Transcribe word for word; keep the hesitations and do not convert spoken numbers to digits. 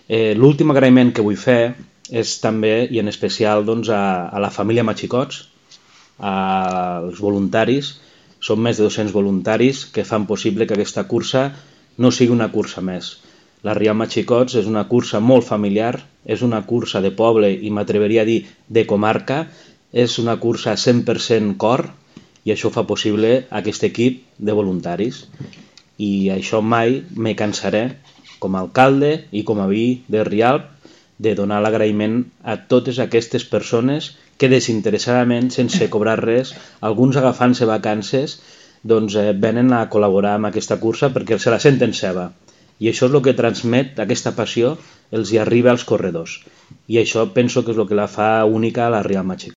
Eh, L'últim agraïment que vull fer és també, i en especial, doncs, a, a la família Machicots, als voluntaris. Són més de dos-cents voluntaris que fan possible que aquesta cursa no sigui una cursa més. La Rialma Xicots és una cursa molt familiar, és una cursa de poble i m'atreveria a dir de comarca, és una cursa cent per cent cor i això fa possible aquest equip de voluntaris. I això mai me cansaré, com a alcalde i com a veí de Rialp, de donar l'agraïment a totes aquestes persones que desinteressadament, sense cobrar res, alguns agafant-se vacances, doncs eh, venen a col·laborar amb aquesta cursa perquè se la senten seva. I això és el que transmet, aquesta passió, els hi arriba als corredors. I això penso que és el que la fa única a la Rialma Xicots.